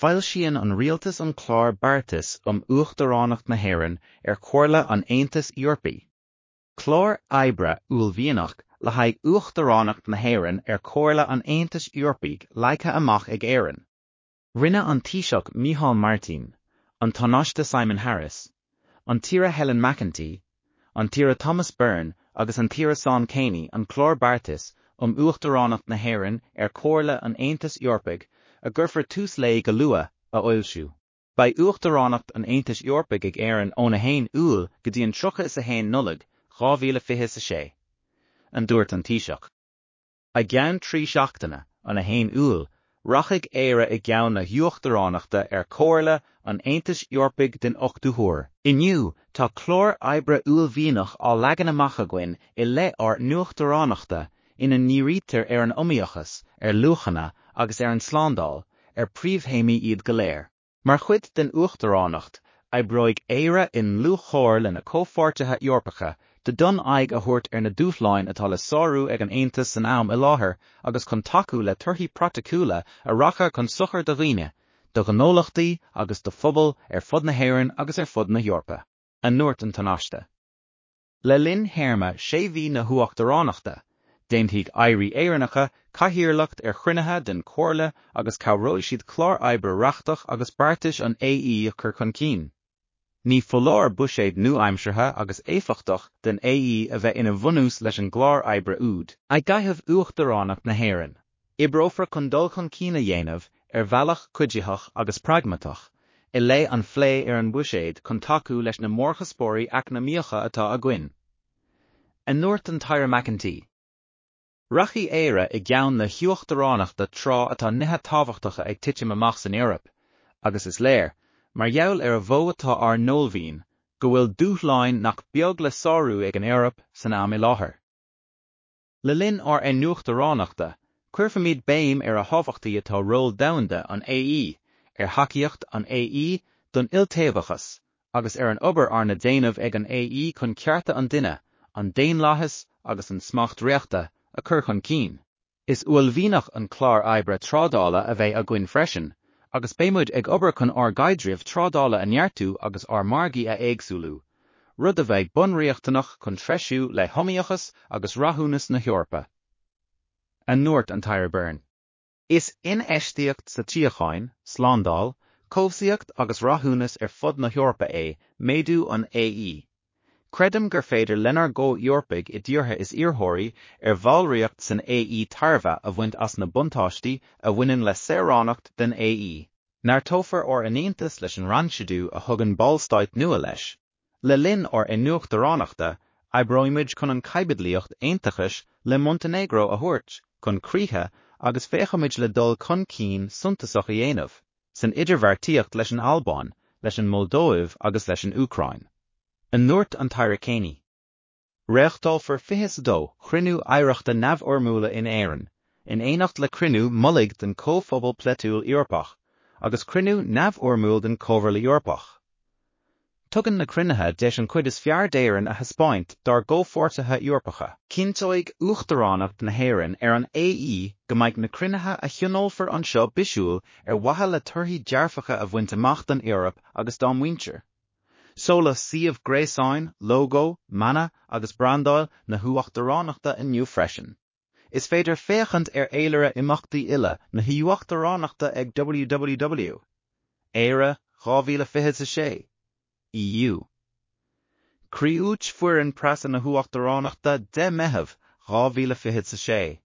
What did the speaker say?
Foilsíonn an Rialtas an Clár Beartais um Uachtaránacht na hÉireann ar Chomhairle an Aontais Eorpaigh. Clár oibre uaillmhianach le haghaidh Uachtaránacht na hÉireann ar Chomhairle an Aontais Eorpaigh leagtha amach ag Éirinn. Rinne an Taoiseach Micheál Martin, an Tánaiste Simon Harris, an tAire Helen McEntee, an tAire Thomas Byrne agus an tAire Seán Kyne an Clár Beartais um Uachtaránacht na hÉireann ar Chomhairle an Aontais Eorpaigh, a gcuirfear tús léi go luath, a fhoilsiú. Beidh Uachtaránacht an Aontais Eorpaigh ag Éirinn ón 1 Iúil go dtí an 31 Nollaig 2026, a dúirt an Taoiseach. I gceann 3 seachtaine, an 1 Iúil, rachaidh Éire i gceann na hUachtaránachta ar Chomhairle an Aontais Eorpaigh den ochtú huair. Inniu, tá clár oibre uaillmhianach á leagan amach againn i leith ár n-uachtaránachta ina ndírítear ar an iomaíochas, ar luachanna agus ar an tslándáil, ar príomhthéamaí iad go léir. Mar chuid den Uachtaránacht, oibreoidh Éire i ndlúthchomhar lena comhpháirtithe Eorpacha d'fhonn aghaidh a thabhairt ar na dúshláin atá le sárú ag an Aontas san am i láthair agus chun tacú le torthaí praiticiúla a rachaidh chun sochair do dhaoine, do ghnólachtaí agus do phobail ar fud na hÉireann agus ar fud na hEorpa. A ndúirt an Tánaiste. Le linn théarma sé mhí na hUachtaránachta, déanfaidh Airí Éireannacha cathaoirleacht ar chruinnithe den Chomhairle agus cabhróidh siad clár oibre reachtach agus beartais an AE a chur chun cinn. Ní foláir buiséad nua-aimseartha agus éifeachtach den AE a bheith ina bhunús leis an gclár oibre úd. I gcaitheamh Uachtaránacht na hÉireann, oibreofar chun dul chun cinn a dhéanamh, ar bhealach cuiditheach agus pragmatach, i leith an phlé ar an mbuiséad chun tacú leis na mórchuspóirí eacnamaíocha atá againn. A ndúirt an tAire McEntee. Rachaidh Éire i gceann na hUachtaránachta tráth atá nithe tábhachtacha ag titim amach san Eoraip, agus is léir, mar gheall ar a mhó atá ár n-uaillmhian, go bhfuil dúshláin nach beag le sárú ag an Eoraip san am i láthair. Le linn ár n-uachtaránachta, cuirfimid béim ar a thábhachtaí atá ról domhanda an AE, ar thacaíocht an AE don iltaobhachas, agus ar an obair arna déanamh ag an AE chun cearta an duine, an daonlathas agus an smacht reachta a chur chun cinn. Is uaillmhianach an clár oibre trádála a bheidh againn freisin, agus beidh muid ag obair chun ár gcaidreamh trádála a neartú agus ár margaí a éagsúlú, rud a bheidh bunriachtanach chun treisiú le hiomaíochas agus rathúnas na hEorpa. A ndúirt an tAire Byrne. Is infheistíocht sa tsíocháin, slándáil, cobhsaíocht agus rathúnas ar fud na hEorpa é méadú an AE. Creidim gur féidir lenár gcomh-Eorpaigh i dtíortha is iarrthóirí ar bhallraíocht san AE tairbhe a bhaint as na buntáistí a bhaineann le saoránacht den AE. Neartófar ár n-aontas leis an rannchuidiú a thugann Ballstáit nua leis. Le linn ár n-uachtaránachta, oibreoimid chun an chaibidlíocht aontachais le Montainéagró a thabhairt chun críche agus féachfaimid le dul chun cinn suntasach a dhéanamh san idirbheartaíocht leis an Albáin, leis an Moldóiv agus leis an Úcráin. A ndúirt an tAire Kyne. Reáchtálfar 22 chruinniú aireachta neamhfhoirmiúla in Éirinn, in éineacht le cruinniú mullaigh den Chomhphobal Polaitiúil Eorpach agus cruinniú neamhfhoirmiúil den Chomhairle Eorpach. Tugann na cruinnithe deis an chuid is fearr d'Éirinn a thaispeáint dár gcomhpháirtithe Eorpacha. Cinnteoidh Uachtaránacht na hÉireann ar an AE go mbeidh na cruinnithe a thionólfar anseo bisiúil ar mhaithe le torthaí dearfacha a bhaint amach don Eoraip agus dá muintir. Seoladh suíomh gréasáin, lógó, mana agus brandáil na hUachtaránachta inniu freisin. Is féidir féachaint ar fhéilire imeachtaí uile na hUachtaránachta ag www. Éire 2026. EU. Criúit foireann preasa na hUachtaránachta 10 Meitheamh 2026.